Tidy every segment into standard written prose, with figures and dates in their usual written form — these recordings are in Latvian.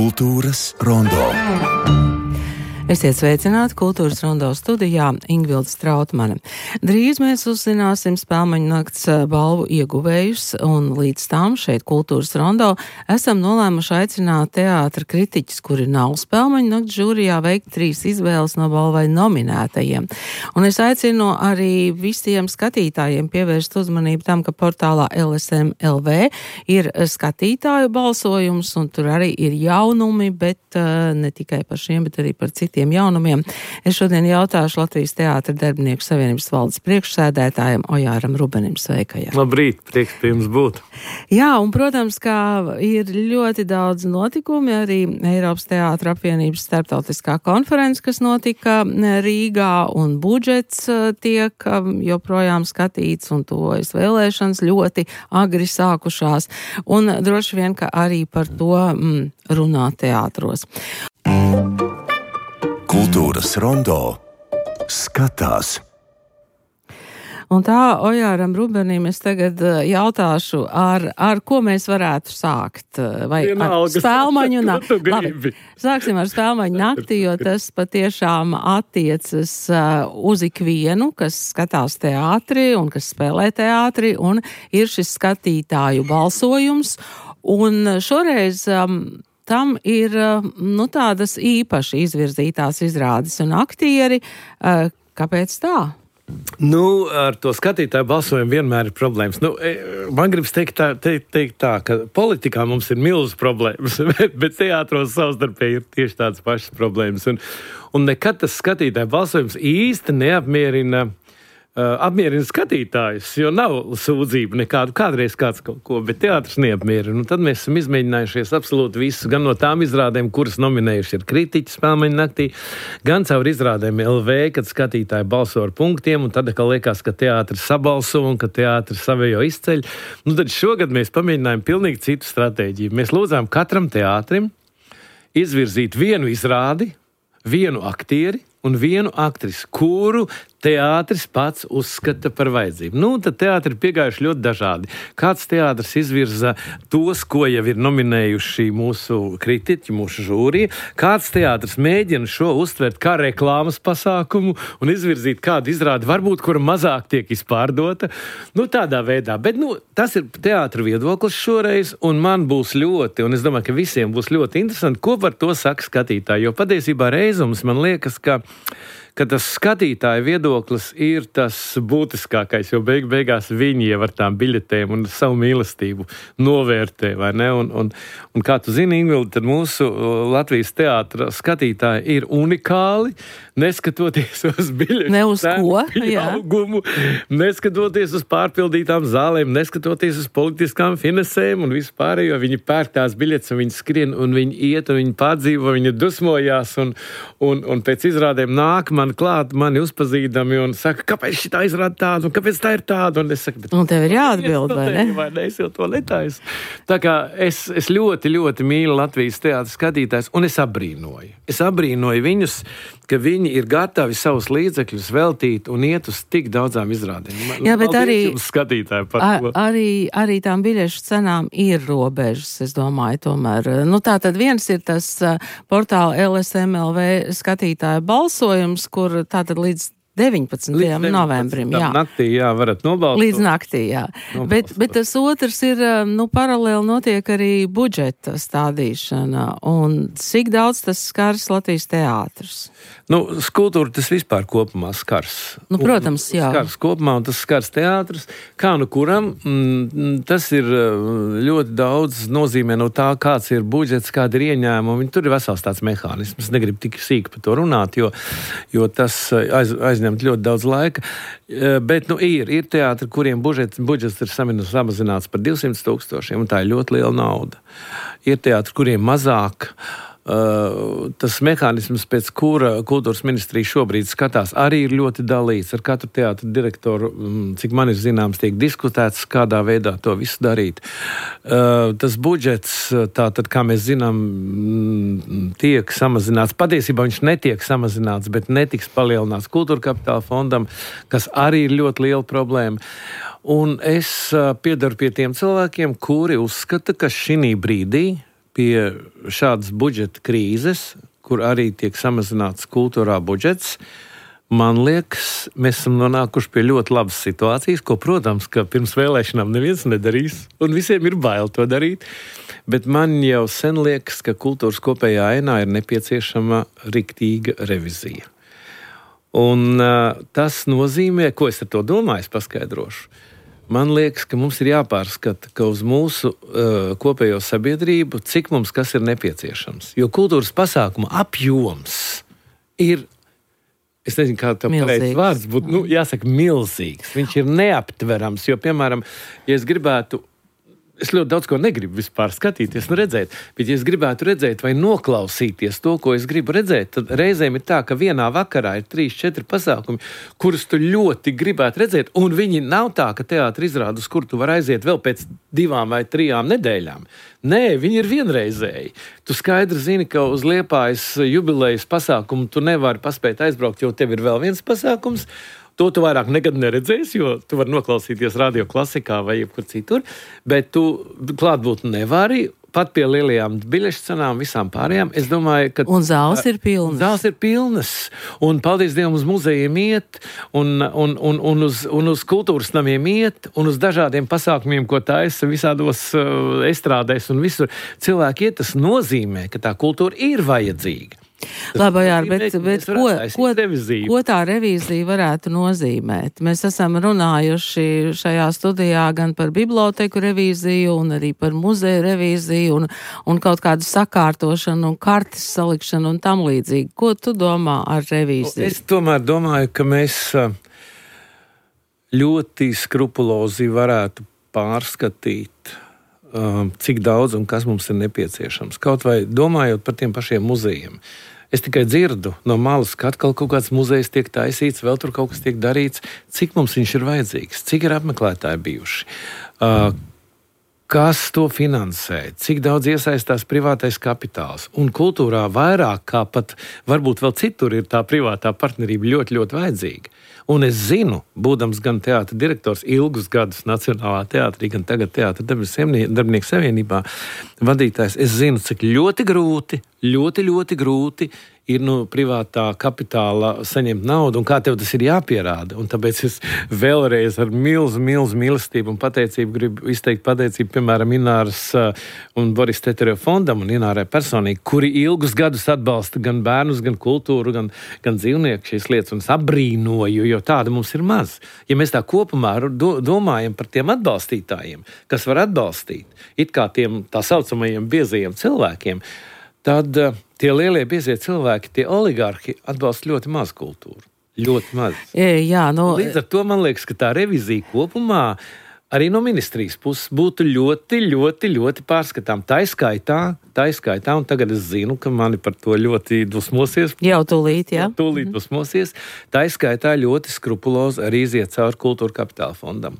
Kultūras rondo. Esiet sveicināti Kultūras rondo studijā Ingvilde Strautmane. Drīz mēs uzzināsim Spēlmaņu nakts balvu ieguvējus, un līdz tam šeit Kultūras rondo esam nolēmuši aicināt teātra kritiķus, kuri nav Spēlmaņu nakts žūrijā, veikt 3 izvēles no balvai nominētajiem. Un es aicinu arī visiem skatītājiem pievērst uzmanību tam, ka portālā LSM.LV ir skatītāju balsojums, un tur arī ir jaunumi, bet ne tikai par šiem, bet arī par citiem jaunumiem. Es šodien jautāšu Latvijas Teātra darbinieku savienības valdes priekšsēdētājam Ojāram Rubenim. Sveika, jā. Labrīt, prieks pie jums būt. Jā, un, protams, kā ir ļoti daudz notikumi, arī Eiropas Teātra apvienības starptautiskā konference, kas notika Rīgā, un budžets tiek joprojām skatīts, un tuvojas vēlēšanas ļoti agri sākušās, un droši vien, ka arī par to runā teātros. Kultūras rondo skatās. Un tā Ojāram Rubenim es tagad jautāšu, ar ko mēs varētu sākt? Vai ar Spēlmaņu nakti? Labi, sāksim ar Spēlmaņu nakti, jo tas patiešām attiecas uz ikvienu, kas skatās teātri un kas spēlē teātri, un ir šis skatītāju balsojums. Un šoreiz tam ir tādas īpaši izvirzītās izrādes un aktieri. Kāpēc tā? Ar to skatītāju balsojumu vienmēr ir problēmas. Man gribas teikt tā, ka politikā mums ir milzas problēmas, bet teātros savstarpēji ir tieši tādas pašas problēmas. Un nekad tas skatītāju balsojums īsti neapmierina skatītājus, jo nav sūdzību nekādu, kādreiz kāds kaut ko, bet teātris neapmierina. Un tad mēs esam izmēģinājušies absolūti visu, gan no tām izrādēm, kuras nominējuši ir kritiķi Spēlmaņu naktī, gan caur izrādēm LV, kad skatītāji balso ar punktiem, un tad, ka liekas, ka teātris sabalso un ka teātris savējo izceļ. Tad šogad mēs pamēģinājām pilnīgi citu stratēģiju. Mēs lūdzām katram teātrim izvirzīt vienu izrādi, vienu aktieri un vienu aktrisi, kuru teātris pats uzskata par vajadzību. Tad teātri ir piegājuši ļoti dažādi. Kāds teātris izvirza tos, ko jau ir nominējuši mūsu kritiķi, mūsu žūrija. Kāds teātris mēģina šo uztvert kā reklāmas pasākumu un izvirzīt kādu izrādi, varbūt, kura mazāk tiek izpārdota. Tādā veidā. Bet, tas ir teātra viedoklis šoreiz, un man būs ļoti, un es domāju, ka visiem būs ļoti interesanti, ko par to saka skatītāji. Jo patiesībā reizums man liekas, ka tas skatītāja viedoklis ir tas būtiskākais, jo beigās viņi jau ar tām biļetēm un savu mīlestību novērtē, vai ne? Un kā tu zini, Ingvilde, tad mūsu Latvijas teātra skatītāji ir unikāli, neskatoties uz biļešu pieaugumu, neskatoties uz pārpildītām zālēm, neskatoties uz politiskām finansēm un vispārējo. Viņi pērk tās biļetes un viņi skrien un viņi iet un viņi pārdzīvo, viņi dusmojās un pēc izrādēm nāk man klāt, mani uzpazīdami un saka, kāpēc šitā izrāda tādu un kāpēc tā ir tāda. Un es saku, un tev ir jāatbild, vai ne? Vai ne? Es jau to netaisu. Tā kā es ļoti, ļoti mīlu Latvijas teātra skatītājus un es abrīnoju. Es abrīnoju viņus, ka viņi ir gatavi savus līdzekļus veltīt un iet uz tik daudzām izrādēm. Jā, bet arī tām biļešu cenām ir robežas, es domāju, tomēr. Tātad viens ir tas portāla LSM.LV skatītāju balsojums, kur tātad līdz 19. novembrim. Jā. Naktī, varat nobalsot. Līdz naktī, jā. Bet tas otrs ir, paralēli notiek arī budžeta stādīšana. Un cik daudz tas skars Latvijas teātrus? Kultūra tas vispār kopumā skars. Protams, jā. Skars kopumā un tas skars teātrus. Kā kuram, tas ir ļoti daudz nozīmē no tā, kāds ir budžets, kāda ir ieņēmuma. Tur ir vesels tāds mehānisms. Es negribu tik sīki par to runāt, jo tas aizņemt ļoti daudz laika. Bet ir teātri, kuriem budžets ir samazināts par 200,000, un tā ir ļoti liela nauda. Ir teātri, kuriem mazāk. Tas mehānisms, pēc kura kultūras ministrija šobrīd skatās, arī ir ļoti dalīts. Ar katru teātra direktoru, cik man ir zināms, tiek diskutēts, kādā veidā to visu darīt. Tas budžets, tātad, kā mēs zinām, tiek samazināts. Patiesībā viņš netiek samazināts, bet netiks palielināts Kultūra Kapitāla fondam, kas arī ir ļoti liela problēma. Un es piedaru pie tiem cilvēkiem, kuri uzskata, ka šī brīdī pie šādas budžeta krīzes, kur arī tiek samazināts kultūrā budžets, man liekas, mēs esam nonākuši pie ļoti labas situācijas, ko, protams, ka pirms vēlēšanām neviens nedarīs, un visiem ir bail to darīt, bet man jau sen liekas, ka kultūras kopējā ainā ir nepieciešama riktīga revizija. Un tas nozīmē, ko es ar to domāju, es paskaidrošu. Man liekas, ka mums ir jāpārskata, ka uz mūsu kopējo sabiedrību, cik mums kas ir nepieciešams. Jo kultūras pasākuma apjoms ir, es nezinu, kā tev pareizi vārds būtu, jāsaka milzīgs. Viņš ir neaptverams, jo, piemēram, ja es gribētu, es ļoti daudz ko negribu vispār skatīties un redzēt, bet ja es gribētu redzēt vai noklausīties to, ko es gribu redzēt, tad reizēm ir tā, ka vienā vakarā ir 3-4 pasākumi, kurus tu ļoti gribētu redzēt, un viņi nav tā, ka teātra izrāda, uz kur tu vari aiziet vēl pēc 2 vai 3 nedēļām. Nē, viņi ir vienreizēji. Tu skaidri zini, ka uz Liepājas jubilejas pasākumu tu nevari paspēt aizbraukt, jo tev ir vēl viens pasākums. To tu vairāk nekad neredzēsi, jo tu vari noklausīties radio klasikā vai jebkur citur, bet tu klātbūt nevari, pat pie lielajām biļešu cenām, visām pārējām. Es domāju, ka... Un zāles ir pilnas. Zāles ir pilnas, un paldies Dievam uz muzejiem iet, un uz kultūras namiem iet, un uz dažādiem pasākumiem, ko taisa visādos estrādēs un visur. Cilvēki iet, tas nozīmē, ka tā kultūra ir vajadzīga. Labi, jā, bet ko tā revīzija varētu nozīmēt? Mēs esam runājuši šajā studijā gan par biblioteku revīziju un arī par muzeju revīziju un kaut kādu sakārtošanu un kartes salikšanu un tam līdzīgi. Ko tu domā ar revīziju? Es tomēr domāju, ka mēs ļoti skrupulozi varētu pārskatīt, cik daudz un kas mums ir nepieciešams. Kaut vai domājot par tiem pašiem muzejiem. Es tikai dzirdu no malas, ka atkal kaut kāds muzejs tiek taisīts, vēl tur kaut kas tiek darīts. Cik mums viņš ir vajadzīgs? Cik ir apmeklētāji bijuši? Kas to finansē? Cik daudz iesaistās privātais kapitāls? Un kultūrā vairāk kā pat varbūt vēl citur ir tā privātā partnerība ļoti, ļoti vajadzīga. Un es zinu, būdams gan teātra direktors ilgus gadus Nacionālā teātrī, gan tagad Teātra darbinieku savienībā vadītājs, es zinu, cik ļoti grūti ir no privātā kapitāla saņemt naudu, un kā tev tas ir jāpierāda. Un tāpēc es vēlreiz ar milzu mīlestību un pateicību gribu izteikt pateicību, piemēram, Ināras un Boris Teterev fondam un Inārai personīgi, kuri ilgus gadus atbalsta gan bērnus, gan kultūru, gan dzīvnieku šīs lietas, un es apbrīnoju, jo tāda mums ir maz. Ja mēs tā kopumā domājam par tiem atbalstītājiem, kas var atbalstīt, it kā tiem tā saucamajiem biezajiem cilvēkiem, tad tie lielie biezie cilvēki, tie oligarhi atbalsta ļoti maz kultūru. Ļoti maz. Jā, Līdz ar to man liekas, ka tā revizija kopumā arī no ministrijas puses būtu ļoti pārskatām. Tā izskaitā, un tagad es zinu, ka mani par to ļoti dusmosies. Jau tūlīt, jā. Tūlīt dusmosies. Tā izskaitā ļoti skrupulozi arī iziet cauri Kultūra Kapitāla fondam.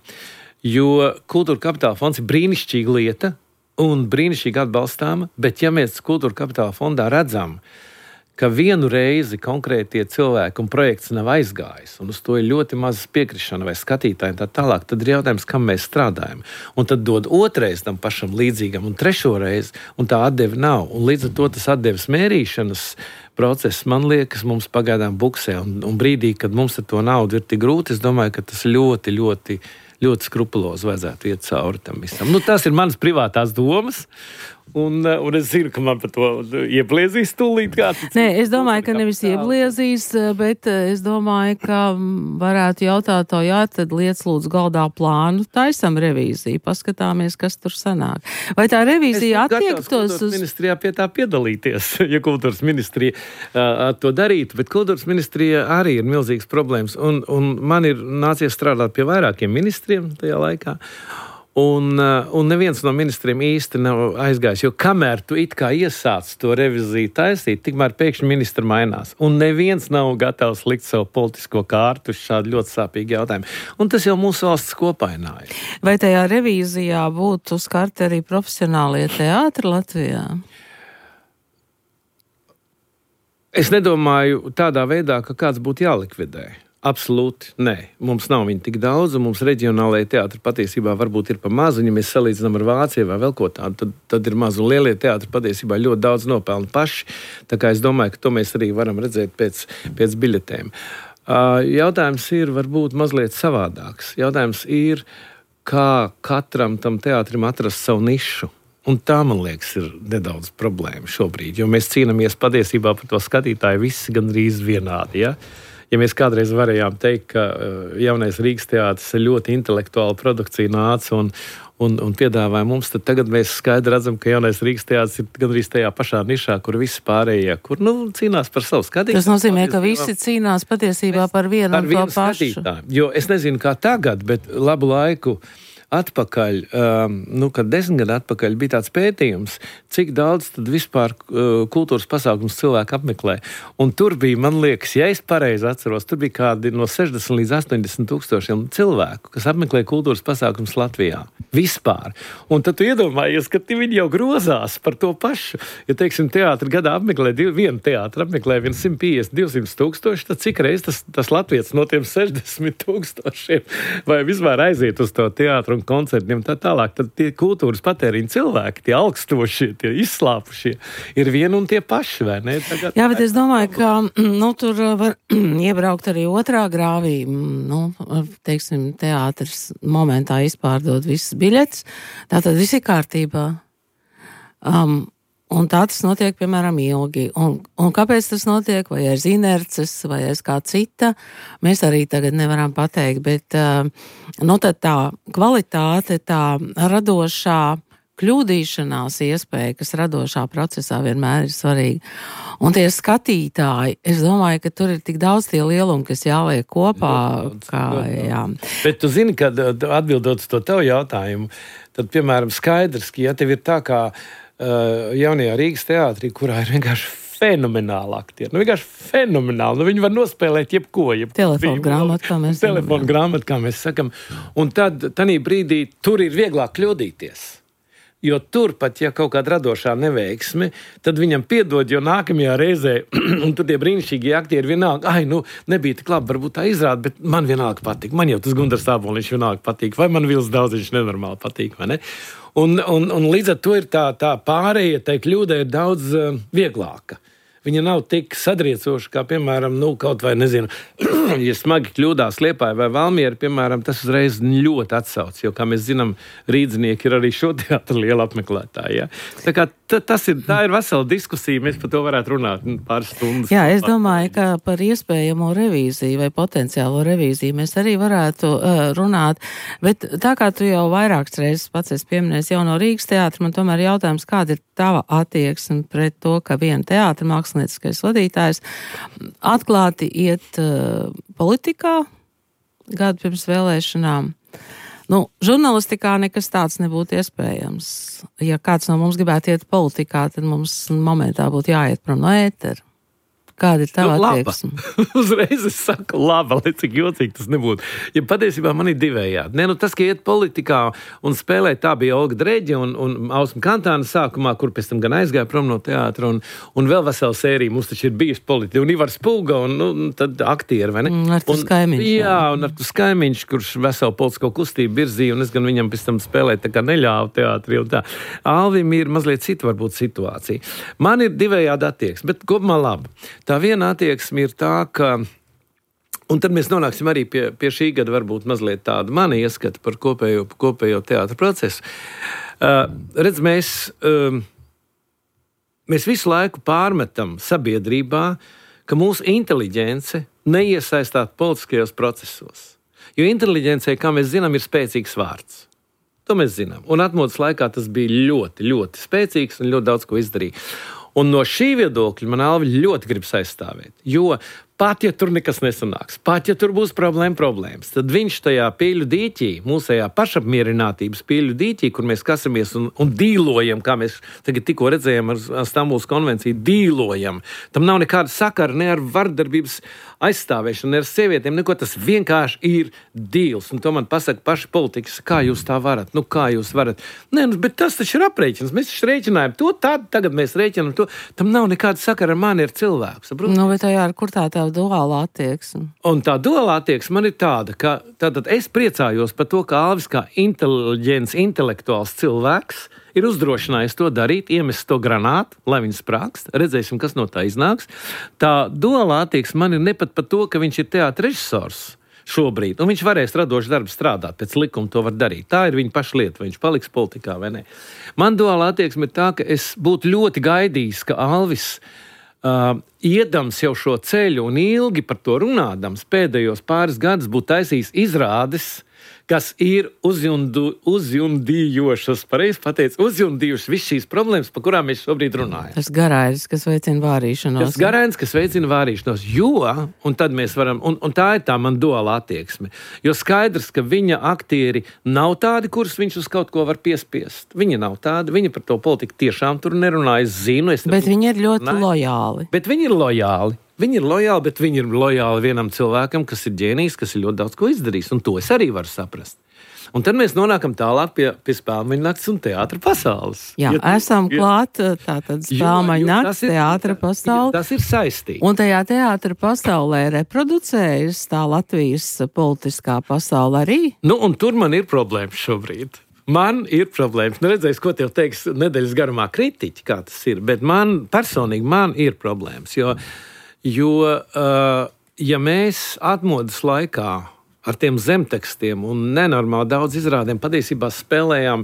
Jo Kultūra Kapitāla fonds ir brīnišķīga lieta, un brīnišķīgi atbalstāma, bet ja mēs Kultūra Kapitāla fondā redzam, ka vienu reizi konkrētie cilvēki un projekts nav aizgājis, un uz to ir ļoti maz piekrišana vai skatītāji tā tālāk, tad ir jautājums, kam mēs strādājam. Un tad dod otrais tam pašam līdzīgam un trešo reizi, un tā atdeve nav. Un līdz ar to tas atdeves mērīšanas process, man liekas, mums pagaidām buksē, un brīdī, kad mums ar to naudu ir tik grūti, es domāju, ka tas ļoti skrupulozi vajadzētu iet cauri tam visam. Tas ir manas privātās domas, un es zinu, ka man par to iebliezīs tūlīt kāds. Nē, es domāju, ka nevis iebliezīs, bet es domāju, ka varētu jautāt to, jā, tad liec lūdzu galdā plānu, taisam revīziju, paskatāmies, kas tur sanāk. Vai tā revīzija attiektos uz... Ministrijā pie tā piedalīties, ja kultūras ministrija to darītu, bet kultūras ministrija arī ir milzīgas problēmas, un man ir nācies strādāt pie vairākiem ministriem tajā laikā. Un neviens no ministriem īsti nav aizgājis, jo kamēr tu it kā iesāc to reviziju taisīt, tikmēr pēkšņi ministri mainās. Un neviens nav gatavs likt savu politisko kārtu uz šādu ļoti sāpīgu jautājumu. Un tas jau mūsu valsts kopainā ir. Vai tajā revīzijā būtu skarti arī profesionālie teātri Latvijā? Es nedomāju tādā veidā, ka kāds būtu jālikvidē. Absolūti, nē. Mums nav viņa tik daudz, un mums reģionālajie teātri patiesībā varbūt ir pa mazu. Ja mēs salīdzinām ar Vāciju vai vēl ko tādu, tad ir maz, un lielie teātri patiesībā ļoti daudz nopelna paši. Tā kā es domāju, ka to mēs arī varam redzēt pēc biļetēm. Jautājums ir varbūt mazliet savādāks. Jautājums ir, kā katram tam teātrim atrast savu nišu. Un tā, man liekas, ir nedaudz problēma šobrīd, jo mēs cīnāmies patiesībā par to skatītāju visi gandrīz vienādi, ja? Ja mēs kādreiz varējām teikt, ka jaunais Rīgas teātris ir ļoti intelektuāla produkcija nāca un piedāvāja mums, tad tagad mēs skaidri redzam, ka jaunais Rīgas teātris ir gandrīz tajā pašā nišā, kur visi pārējie, kur cīnās par savu skatītāju. Tas nozīmē, ka visi cīnās patiesībā par vienu un to pašu. Skatītāju. Jo es nezinu, kā tagad, bet labu laiku atpakaļ, kad 10 gadu atpakaļ bija tāds pētījums, cik daudz tad vispār kultūras pasākums cilvēki apmeklē. Un tur bija, man liekas, ja es pareizi atceros, tur bija kādi no 60 līdz 80 tūkstošiem cilvēku, kas apmeklē kultūras pasākums Latvijā. Vispār. Un tad tu iedomājies, ka viņi jau grozās par to pašu. Ja, teiksim, teātri gadā apmeklē, vienu teātri apmeklē 150-200 tūkstoši, tad cik reiz tas latvietis no tiem 60 tūkstošiem vai vispār aiziet uz to teātru un koncertiem tā tālāk, tad tie kultūras patēriņa cilvēki, tie augstošie, tie izslāpušie, ir vieni un tie paši, vai ne? Tagad, jā, bet es domāju, ka tur var iebraukt arī otrā grāvī. Teiksim, teātris momentā izpārdod visas biļetes, tātad viss ir kārtībā. Un tā tas notiek, piemēram, ilgi. Un kāpēc tas notiek? Vai aiz inerces, vai aiz kā cita? Mēs arī tagad nevaram pateikt, bet tad tā kvalitāte, tā radošā kļūdīšanās iespēja, kas radošā procesā vienmēr ir svarīga. Un tie skatītāji, es domāju, ka tur ir tik daudz tie lielumi, kas jāliek kopā. Jā. Bet tu zini, kad atbildot uz to tavu jautājumu, tad, piemēram, skaidrs, ka ja tev ir tā kā jaunajā Rīgas teātrī, kurā ir vienkārši fenomenāli aktieri. Vienkārši fenomenāli. Viņi var nospēlēt jebko. Telefonu grāmatu, kā mēs sakam. Un tad, tanī brīdī, tur ir vieglāk kļūdīties. Jo tur pat, ja kaut kāda radošā neveiksme, tad viņam piedod, jo nākamajā reizē, un tur tie brīnišķīgi aktieri vienalga, nebija tik labi, varbūt tā izrāda, bet man vienalga patīk. Man jau tas Gundars Āboliņš vienalga patīk, vai man Vils Daudziņš nenormāli patīk, vai ne? Un līdz ar to ir tā pārēja, tai kļūdai ir daudz vieglāka. Viņa nav tik sadriecoša, kā, piemēram, kaut vai, nezinu, ja smagi kļūdās Liepāja vai Valmiera, piemēram, tas uzreiz ļoti atsauc, jo, kā mēs zinām, rīdznieki ir arī šo teātru liela apmeklētāji. Ja? Tā kā tā ir vesela diskusija, mēs par to varētu runāt pāris stundas. Jā, es domāju, ka par iespējamo revīziju vai potenciālo revīziju mēs arī varētu runāt, bet tā kā tu jau vairākas reizes pats esi pieminējis jauno Rīgas teātri, man tomēr jautājums, kāda ir tava attieksme pret to, ka viena teātra mākslinieckais vadītājs atklāti iet politikā gadu pirms vēlēšanām. Žurnālistikā nekas tāds nebūtu iespējams. Ja kāds no mums gribētu iet politikā, tad mums momentā būtu jāiet prom no ētera. Kāda ir tava attieksme? Uzreiz es saku, laba, lai cik jocīgi tas nebūtu. Ja patiesībā man ir divējādi. Tas, ka iet politikā un spēlēt, tā bija Olga Dreģe un Ausma Kantāna sākumā, kur pēc tam gan aizgāja prom no teātra, un vēl vesela sērija mums taču ir bijusi politika. Un Ivars Pulga, un tad aktieri, vai ne? Artus Kaimiņš. Jā, un Artus Kaimiņš, kurš veselu politisko kustību virzīja, un es gan viņam pēc tam spēlēt tā kā neļāvu teātri un tā. Alvim ir mazliet cita varbūt situācija. Man ir divējādi attieksme, bet kopumā labi. Tā viena attieksme ir tā, ka, un tad mēs nonāksim arī pie šī gada varbūt mazliet tādu mani ieskatu par kopējo teātra procesu. Redz, mēs visu laiku pārmetam sabiedrībā, ka mūsu inteliģence neiesaistāt politiskajos procesos. Jo inteliģencei, kā mēs zinām, ir spēcīgs vārds. To mēs zinām. Un atmodas laikā tas bija ļoti, ļoti spēcīgs un ļoti daudz ko izdarīja. Un no šī viedokļa man Alvi ļoti gribas aizstāvēt, jo pat, ja tur nekas nesanāks, pat, ja tur būs problēmas, tad viņš tajā pīļu dīķī, mūsējā pašapmierinātības pīļu dīķī, kur mēs kasamies un dīlojam, kā mēs tagad tikko redzējām ar Stambulas konvenciju, dīlojam. Tam nav nekāda sakara ne ar vardarbības aizstāvēšanu, ne ar sievietēm, neko, tas vienkārši ir dīls. Un to man pasaka paši politikas, kā jūs tā varat, kā jūs varat. Nē, bet tas taču ir aprēķins, mēs taču rēķinājam to, tagad mēs rēķinām to, tam nav nekāda sakara ar mani, ar cilvēku. Saprot? Bet jā, kur tā duāla attieksme. Un tā duāla attieksme man ir tāda, ka tātad es priecājos par to, ka Alvis kā inteliģents, intelektuāls cilvēks ir uzdrošinājis to darīt, iemest to granātu, lai viņi sprākst. Redzēsim, kas no tā iznāks. Tā duāla attieksme man ir ne pat par to, ka viņš ir teātra režisors šobrīd, un viņš varēs radošu darbu strādāt, pēc likuma to var darīt. Tā ir viņa paša lieta, vai viņš paliks politikā vai ne. Man duāla attieksme ir tā, ka es būtu ļoti gaidījis, ka Alvis iedams jau šo ceļu un ilgi par to runādams pēdējos pāris gadus būtu taisījis izrādes, kas ir uzjundījošas, pareizi pateicu, uzjundījušas visas šīs problēmas, par kurām mēs šobrīd runājam. Tas garainis, kas veicina vārīšanos. Tas garainis, kas veicina vārīšanos, jo, un tad mēs varam, un tā ir tā man duāla attieksme, jo skaidrs, ka viņa aktieri nav tādi, kurus viņš uz kaut ko var piespiest. Viņi nav tādi, viņi par to politiku tiešām tur nerunā, es zinu. Bet viņi ir ļoti lojāli. Bet viņi ir lojāli. Viņi ir lojāli, bet viņi ir lojāli vienam cilvēkam, kas ir ģēnijs, kas ir ļoti daudz ko izdarījis, un to es arī varu saprast. Un tad mēs nonākam tālāk pie Spēlmeņa nakts un teātra pasaules. Jā, esam klāt tātad Spēlmeņa nakts, teātra pasaule. Tas ir saistīts. Un tajā teātra pasaulē reproducējas tā Latvijas politiskā pasaule arī? Nu, un tur man ir problēmas šobrīd. Man ir problēmas. Nu, redzēs, ko tev teiks nedēļas garumā kritiķi, kā tas ir, bet man personīgi ir problēmas, jo ja mēs atmodas laikā ar tiem zemtekstiem un nenormāli daudz izrādēm patiesībā spēlējām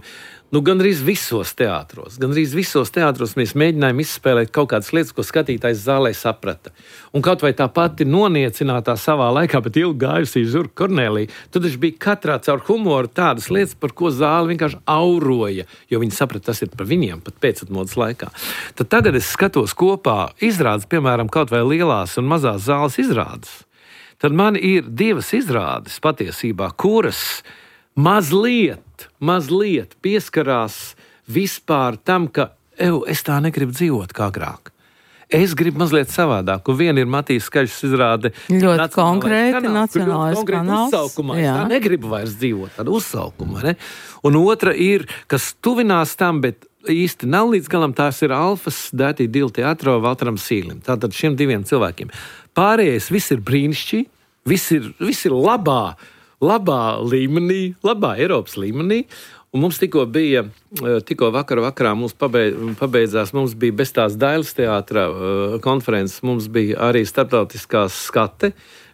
gandrīz visos teātros. Gandrīz visos teātros mēs mēģinājām izspēlēt kaut kādas lietas, ko skatītājs zālē saprata. Un kaut vai tā pati noniecinātā savā laikā, bet ilgi gājusī Žurka Kornelija, tad viņš bija katrā caur humoru tādas lietas, par ko zāle vienkārši auroja, jo viņi saprata, tas ir par viņiem pat pēcatmodas laikā. Tad tagad es skatos kopā izrādes, piemēram, kaut vai lielās un mazās zāles izrādes. Tad man ir divas izrādes patiesībā, kuras mazliet pieskarās vispār tam, ka es tā negribu dzīvot kā agrāk. Es gribu mazliet savādāk. Un viena ir Matīs Skaļšs izrāde. Ļoti konkrēti nacionālais kanāls. Uzsaukumā. Es tā negribu vairs dzīvot, tādu uzsaukumu. Ne? Un otra ir, kas tuvinās tam, bet īsti nav līdz galam, tās ir Alfas Dētī Dila teātro Valteram Sīlim. Tātad šiem diviem cilvēkiem. Pārējais viss ir brīnišķīgi, viss ir labā līmenī, labā Eiropas līmenī. Un mums tikko vakarā mums pabeidzās, mums bija bez tās Dailes teātra konferences, mums bija arī starptautiskās skate.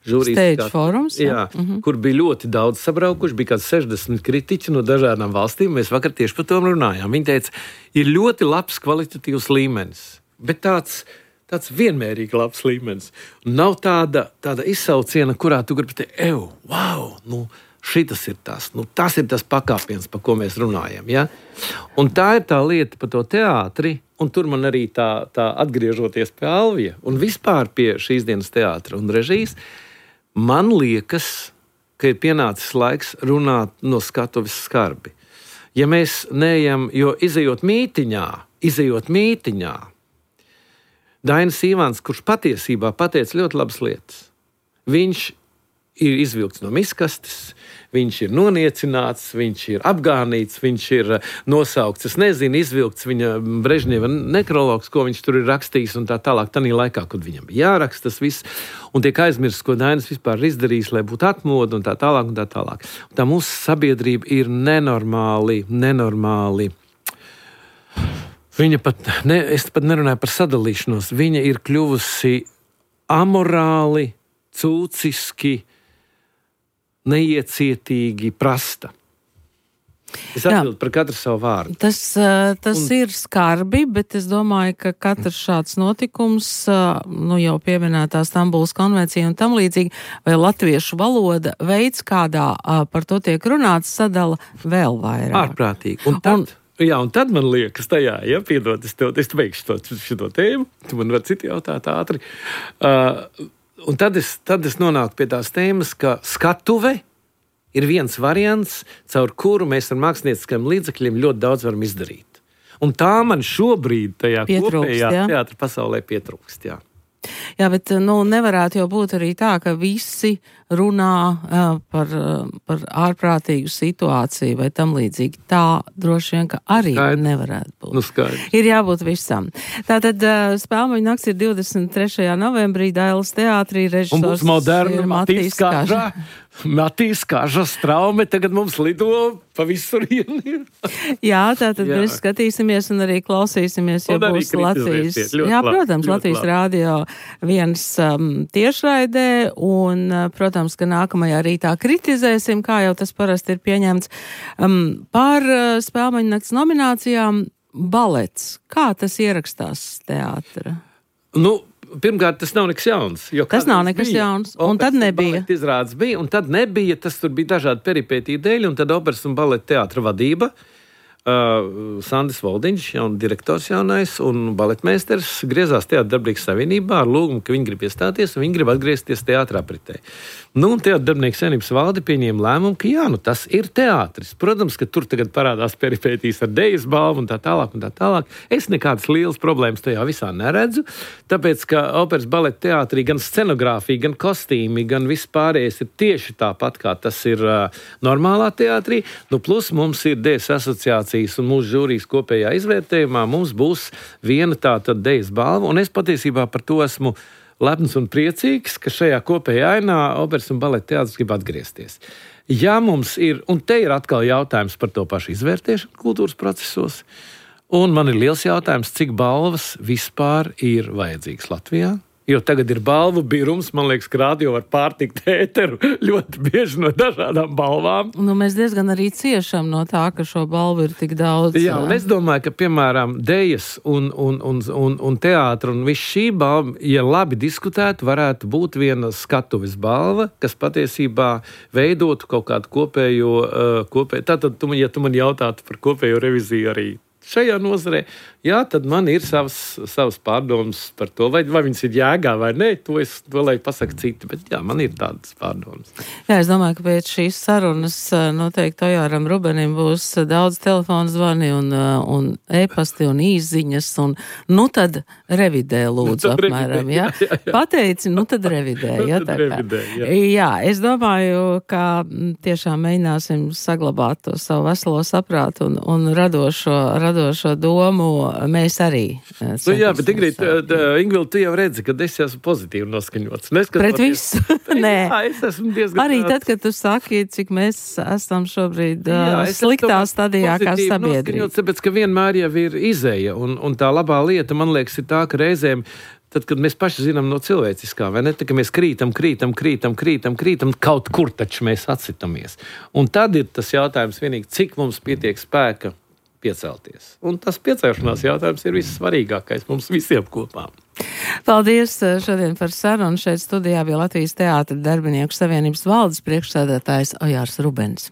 Stage forums. Jā, kur bija ļoti daudz sabraukuši, bija kāds 60 kritiķi no dažādām valstīm. Mēs vakar tieši par to runājām. Viņi teica, ir ļoti labs kvalitatīvs līmenis, bet tāds vienmērīgi labs līmenis. Nav tāda izsauciena, kurā tu gribi teikt, šitas ir tas. Tas ir tas pakāpiens, par ko mēs runājam. Ja? Un tā ir tā lieta par to teātri, un tur man arī tā atgriežoties pie Alvija un vispār pie šīs dienas teātra un režijas, man liekas, ka ir pienācis laiks runāt no skatuves skarbi. Ja mēs neejam, jo izejot mītiņā, Dainis Ivāns, kurš patiesībā pateica ļoti labas lietas, viņš ir izvilkts no miskastes, viņš ir noniecināts, viņš ir apgānīts, viņš ir nosaukts, izvilkts viņa Brežņeva nekrologs, ko viņš tur ir rakstījis un tā tālāk, tanī laikā, kad viņam bija jāraksta tas viss, un tiek aizmirsts, ko Dainis vispār ir izdarījis, lai būtu atmoda un tā tālāk un tā tālāk. Un tā mūsu sabiedrība ir nenormāli. Viņa es pat nerunāju par sadalīšanos, viņa ir kļuvusi amorāli, cūciski, neiecietīgi prasta. Es atbildu par katru savu vārdu. Tas ir skarbi, bet es domāju, ka katrs šāds notikums, jau pieminētā Stambulas konvencija un tam līdzīgi, vai latviešu valoda veids, kādā par to tiek runāts, sadala vēl vairāk. Ārprātīgi. Un tad man liekas tajā, piedod, es beigšu šo tēmu, tu man var citi jautāt ātri. Un tad es nonāku pie tās tēmas, ka skatuve ir viens variants, caur kuru mēs ar mākslinieckajiem līdzekļiem ļoti daudz varam izdarīt. Un tā man šobrīd tajā kopējā teātra pasaulē pietrūkst, jā. Jā, bet nevarētu jau būt arī tā, ka visi runā par ārprātīgu situāciju vai tam līdzīgi. Tā droši vien, ka arī nevarētu būt. Skaidrs. Ir jābūt visam. Tātad Spēlmeņu nakts ir 23. novembrī Dailas teātrī, režisors un būs moderna ir Matīs Kaža. Matīs Kaža straume tagad mums lido pa visurieni. Jā, tātad mēs skatīsimies un arī klausīsimies, ja būs Latvijas. Jā, protams, Latvijas rādio viens tiešraidē un, protams, ka nākamajā rītā kritizēsim, kā jau tas parasti ir pieņemts, par Spēlmeņu nakts nominācijām balets. Kā tas ierakstās teātra? Pirmkārt, tas nav nekas jauns. Tas nav nekas jauns, un tad nebija. Izrādes bija, un tad nebija, tas tur bija dažādi peripētī dēļ, un tad operas un baleta teātra vadība, Sandis Voldiņš, direktors jaunais, un baletmeisters griezās Teātra darbinieks savienībā ar lūgumu, ka viņi grib iestāties, un viņi grib atgriezties teātra apritē. Un Teātra darbinieks savienības valde pieņēma lēmumu, ka tas ir teātris. Protams, ka tur tagad parādās peripētīs ar dejas balvu un tā tālāk. Es nekādas lielas problēmas tajā visā neredzu, tāpēc, ka operas baleta teātrī gan scenogrāfija, gan kostīmi, gan viss pārējais ir tieši tāpat, kā tas ir normālā teātrī. Plus mums ir dejas asociācija un mūsu žūrijas kopējā izvērtējumā mums būs viena tāda dejas balva, un es patiesībā par to esmu lepns un priecīgs, ka šajā kopējā ainā operas un baleta teātris grib atgriezties. Ja mums ir, un te ir atkal jautājums par to pašu izvērtēšanu kultūras procesos, un man ir liels jautājums, cik balvas vispār ir vajadzīgas Latvijā? Jo tagad ir balvu birums, man liekas, ka rādio var pārtikt ēteru ļoti bieži no dažādām balvām. Mēs diezgan arī ciešam no tā, ka šo balvu ir tik daudz. Jā, un es domāju, ka, piemēram, dejas un teātra un viss šī balva, ja labi diskutētu, varētu būt viena skatuves balva, kas patiesībā veidotu kaut kādu kopējo. Tātad, ja tu man jautātu par kopējo reviziju arī šajā nozarē, tad man ir savas pārdomas par to, vai viņas ir jēgā vai nē, to lai pasaka citi, bet man ir tādas pārdomas. Jā, es domāju, ka pēc šīs sarunas noteikti Ojāram Rubenim būs daudz telefonu zvani un e-pasti un īsziņas, un tad revidē lūdzu apmēram, jā? Pateici, tad revidē, jā, es domāju, ka tiešām mēģināsim saglabāt to savu veselo saprātu un radošo domu mēs arī. Bet Ingvilda, tu jau redzi, ka es esmu pozitīvi noskaņots. Pret visu? Nē. Jā, es esmu diezgan arī tad, kad tu saki, cik mēs esam šobrīd sliktā stadijā kā sabiedrība. Tāpēc, ka vienmēr jau ir izēja, un tā labā lieta, man liekas, ir tā, ka reizēm tad, kad mēs paši zinām no cilvēciskā, vai ne, tad, ka mēs krītam, kaut kur taču mēs atsitamies. Un tad ir tas jautājums vienīgi, cik mums pietiek spēka piecelties. Un tas piecelšanās jautājums ir vissvarīgākais mums visiem kopā. Paldies šodien par sarunu. Šeit studijā bija Latvijas Teātra darbinieku savienības valdes priekšsēdētājs Ojārs Rubens.